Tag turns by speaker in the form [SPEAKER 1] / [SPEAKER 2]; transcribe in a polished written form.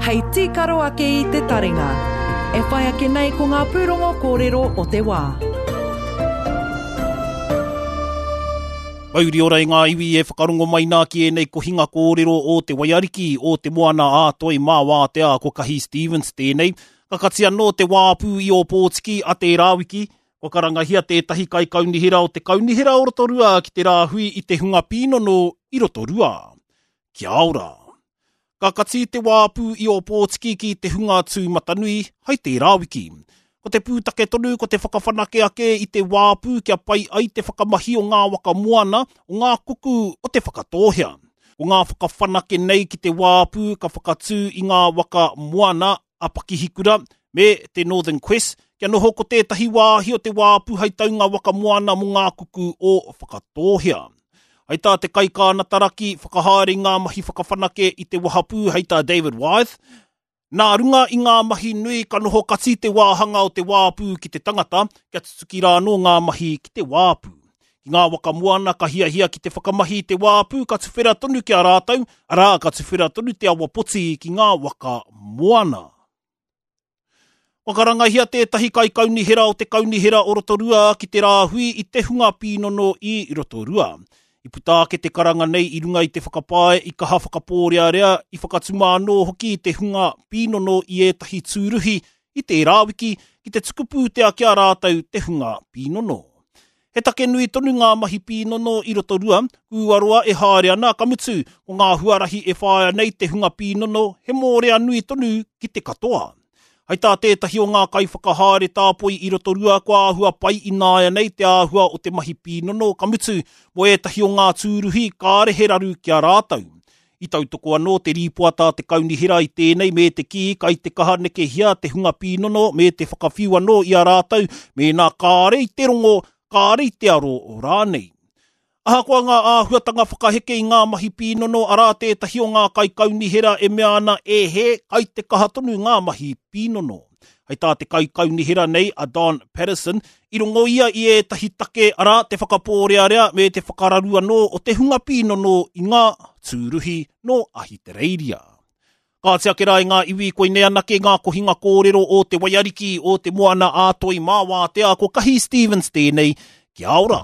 [SPEAKER 1] Hei tīkaro ake i te taringa. E whai ake nei ko ngā pūrongo kōrero o te wā.
[SPEAKER 2] Mauri ora i ngā iwi e whakarongo mai nā ki ēnei kohinga kōrero o Te Waiariki, o Te Moana ā Toi mā Wātea, ko Kahi Stevens tēnei. Ka kati anō te wāpu i Ōpōtiki a tērā wiki, kua karangahia tētahi kaikaunihera o te Kaunihera o Rotorua ki te rāhui i te hunga pīnono i Rotorua. Kia ora! Ka kati te wāpu i Ōpōtiki ki te hunga tūmatanui hai tērā wiki. Ko te pūtake tonu ko te whakawhanake ake i te wāpu kia pai ai te whakamahi o ngā waka moana, o ngā kuku o Te Whakatōhea. Ko ngā whakawhanake nei ki te wāpu ka whakatū i ngā waka moana a Pakihikura me te Northern Quest kia noho ko tētahi wāhi o te wāpu hai taunga waka moana mō ngā kuku o Whakatōhea. Hai tā te kaikānataraki whakahaere i ngā mahi whakawhanake i te wahapū hei tā David Wythe, Nā runga i ngā mahi nui ka noho kati te wāhanga o te wāpu ki te tangata kia tutuki rā anō ngā mahi ki te wāpu. Ki ngā waka moana ka hiahia ki te whakamahi i te wāpu ka tuwhera tonu ki a rātou, arā, ka tuwhera tonu te awa poti ki ngā waka moana. Kua karangahia tētahi kaikaunihera o te Kaunihera o Rotorua ki te rāhui i te hunga pīnono i Rotorua. I puta ake te karanga nei i runga i te whakapae i kaha whakapōrearea, i whakatuma anō hoki te hunga pīnono i ētahi tūruhi i tērā wiki ki te tuku pūtea ki a rātou te hunga pīnono. He take nui tonu ngā mahi pīnono i Rotorua, kūaroa e haere ana, ka mutu, ko ngā huarahi e whāia nei te hunga pīnono he mōrea nui tonu ki te katoa. Hai tā tētahi o ngā kaiwhakahaere tāpoi i Rotorua kua āhua pai ināianei te āhua o te mahi pīnono, ka mutu, mō ētahi o ngā tūruhi kāre he raru ki a rātou. I tautoko anō te rīpoata a te kaunihera i tēnei me te kī kai te kaha nekehia te hunga pīnono me te whakawhiu anō i a rātou mēnā kāre i te rongo, kāre i te aro rānei. Ahakoa ngā āhuatanga whakaheke i ngā mahi pīnono, arā tētahi o ngā kaikaunihera e mea ana e hē, kai te kaha tonu ngā mahi pīnono. Hei tā te kaikaunihera nei a Don Patterson, i rongo ia i ētahi take, arā, te whakapōrearea me te whakararu anō o te hunga pīnono i ngā tūruhi nō Ahitereiria. Kāti ake rā i ngā iwi, koinei anake ngā kohinga kōrero o Te Waiariki, o Te Moana ā Toi mā Wātea, ko Kahi Stevens tēnei, kia ora!